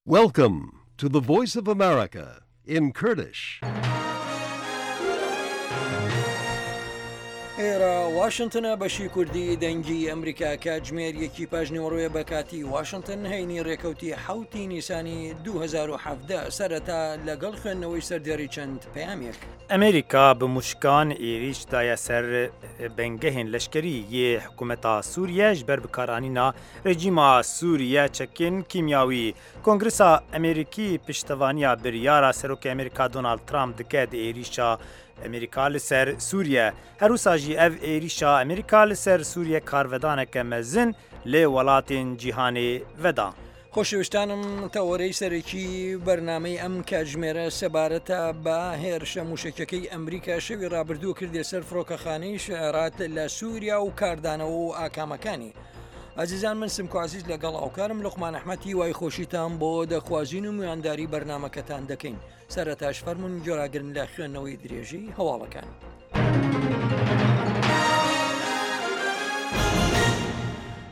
Welcome to the Voice of America in Kurdish. ئێرە واشنتنە بەشی کوردی دەنگی ئەمریکا کاتژمێر یەکی پاژنیوەڕۆیە بە کاتی واشنتن هەینی ڕێکەوتی حوتی نیسانی 2017 سەرەتا لەگەڵ خوێندنەوەی سەردێڕی چەند پەیامێک. ئەمریکا bi mûşkan êrîş daye ser bingehên leşkerî yê hikûmeta Sûriye ji ber bikaranîna Rejîma Sûriye çekên kîmyawî. Kongresa Amerîkî piştevaniya biryara Serokê Amerîka Donald Trump dike di êrîşa Amerîka li ser Sûriye. Her wisa jî ev êrîşa Amerîka li ser Sûriye karvedaneke mezin li welatên cîhanê veda. خۆشەویستانم تەوەرەی سەرەکی بەرنامەی ئەم کاتژمێرە سەبارەتە بە هێرشە موشەکیەکەی ئەمریکا شەوی ڕابردوو کردیە سەر فڕۆکەخانەی شعرات لە سووریا و کاردانەوە و ئاکامەکانی. ئازیزان من سمکۆ عزیز لەگەڵ هاوکارم لوقمان ئەحمەد هیوای خۆشیتان بۆ دەخوازین و میوانداری بەرنامەکەتان دەکەین سەرەتاش فەرمونون گۆراگرن لە خوێندنەوەی درێژی هەواڵەکان.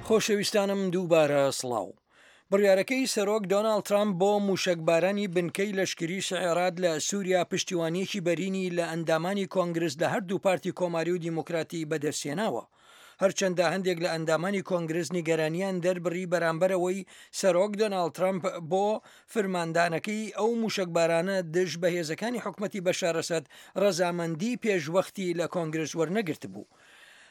خۆشەویستانم دووبارە سڵاو. بڕیارەکەی سەرۆک دۆناڵد ترامپ بۆ مووشەکبارانی بنکەی لەشکری شعێرات لە سووریا پشتیوانییەکی بەرینی لە ئەندامانی کۆنگرس لە هەردوو پارتی کۆماری و دیموکراتی بەدەستهێناوە. هەرچەندە هەندێک لە ئەندامانی کۆنگرس نیگەرانیان دەربڕی بەرامبەر ئەوەی سەرۆک دۆناڵد ترەمپ بۆ فرماندانەکەی ئەو مووشەکبارانە دژ بە هێزەکانی حکومەتی بەشار ئەسەد ڕەزامەندی پێشوەختی لە کۆنگرس وەرنەگرتبوو.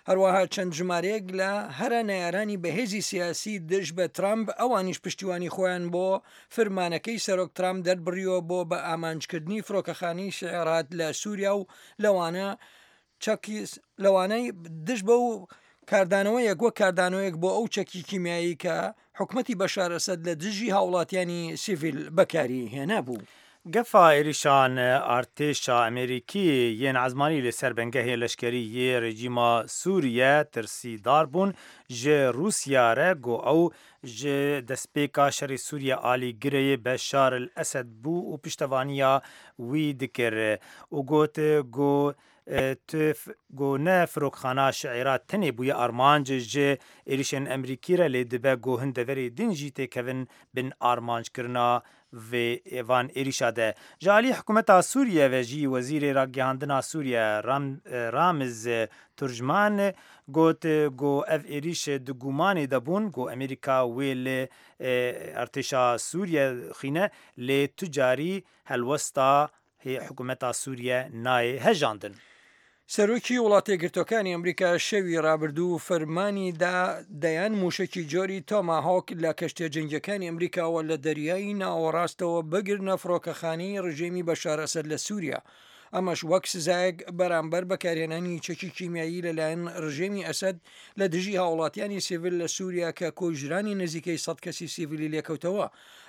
هەروەها چەند ژمارەیەک لە هەرە نەیارانی بەهێزی سیاسی دژ بە ترامپ ئەوانیش پشتیوانی خۆیان بۆ فرمانەکەی سەرۆک ترامپ دەربڕیوە بۆ بە ئامانجکردنی فڕۆکەخانەی شعێرات لە سووریا و لەوانە چەکی لەوانەی دژ بەو کاردانەوەیەک وەک کاردانەوەیەک بۆ ئەو چەکی کیمیایی کە حکومەتی بەشار ئەسەد لە دژی هاوڵاتیانی سیڤیل بەکاری هێنابوو. Gefa êrîşan artêşa Amerîkî yên ezmanî li ser bingehê leşkerî yê rejîma Sûriye tirsîdar bûn ji Rûsya re ku ew ji destpêka şerê Sûriye alîgirê Beşar el Esed bû û piştevaniya wî dikir û got ku tu ku ne firokxana Şiîra tenê bûye armanc ji êrîşên Amerîkî re lê dibe ku hin deverê din jî têkevin bin armanckirina vê van êrîşa de. Ji aliyê hikûmeta Sûriye ve jî Wezîrê Ragihandina Sûriye Ramiz Turjman got ku ev êrîş di gumanê de bûn ku Amerîka wê li artêşa Sûriye xîne lê tu carî helwesta hikûmeta Sûriye nayê hejandin. سەرۆکی وڵاتەیەکگرتووەکانی ئەمریکا شەوی ڕابردوو فەرمانی دا دەیان مووشەکی جۆری تۆماهۆک لە کەشتیە جەنگیەکانی ئەمریکاوە لە دەریای ناوەڕاستەوە بگرنە فڕۆکەخانەی ڕژێمی بەشار ئەسەد لە سووریا، ئەمەش وەک سزایەک بەرامبەر بەکارهێنانی چەکی کیمیایی لەلایەن ڕژێمی ئەسەد لە دژی هاوڵاتیانی سیڤیل لە سووریا کە کوژرانی نزیکەی 100 کەسی سیڤیلی لێکەوتەوە،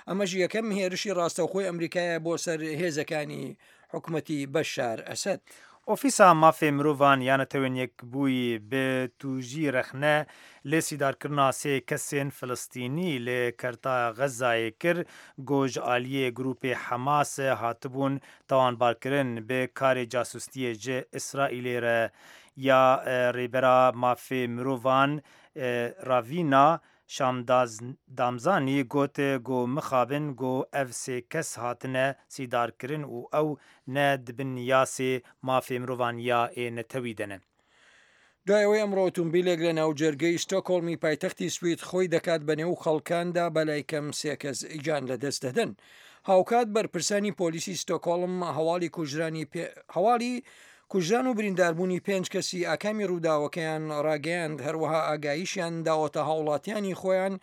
ئەمەش یەکەم هێرشی ڕاستەوخۆی ئەمریکایە بۆ سەر هێزەکانی حکومەتی بەشار ئەسەد. ئۆفیسا مافê mirovan ya Netewên Yekbûyî bi tûjî rexne li sîdarkirina sê kesên Filistînî li Kerta Xezayê kir ku ji aliyê grûpê Hemas hatibûn tawanbarkirin bi karê casûstiyê ji Îsraîlê re ya Rêbera Mafê Mirovan Ravîna Şamdamzanî got ku mixabin ku ev sê kes hatine sîdarkirin û ew ne di bin yasê mafê mirovan ya ê netewî de ne. دوای ئەوەی ئەمڕۆ ئۆتۆمبیلێک لە ناوجەرگەی ستۆکۆڵمی پایتەختی سوید خۆی دەکات بە نێو خەڵکاندا بەلای کەم سێ کەس گیان لەدەست دەدەن. هاوکات بەرپرسانی پۆلیسی ستۆکۆڵم هەواڵی کوژرانی هەواڵی کوژران و برینداربوونی پێنج کەسی ئاکامی ڕووداوەکەیان ڕاگەیاند، هەروەها ئاگاییشیان داوەتە هاوڵاتیانی خۆیان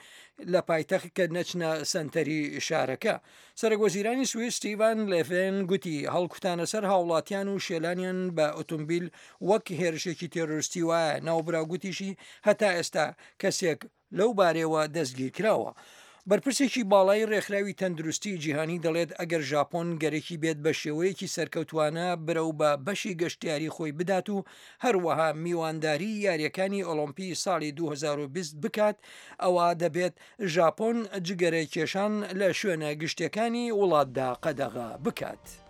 لە پایتەخت کە نەچنە سەنتەری شارەکە. سەرەکوەزیرانی سوید ستیڤان لێڤێن گوتی، هەڵکوتانە سەر هاوڵاتیان و شێلانیان بە ئۆتۆمبیل وەک هێرشێکی تێرۆرستی وایە. ناوبراو گوتیشی، هەتا ئێستا کەسێک لەو بارەیەوە دەستگیرکراوە. بەرپرسێکی باڵای رێکخراوی تەندروستی جیهانی دەڵێت ئەگەر ژاپۆن گەرەکی بێت بە شێوەیەکی سەرکەوتوانە برەو بە بەشی گەشتیاری خۆی بدات و هەروەها میوانداری یاریەکانی ئۆڵۆمپی ساڵی 2020 بکات ئەوا دەبێت ژاپۆن جگەرە کێشان لە شوێنە گشتیەکانی وڵاتدا قەدەغە بکات.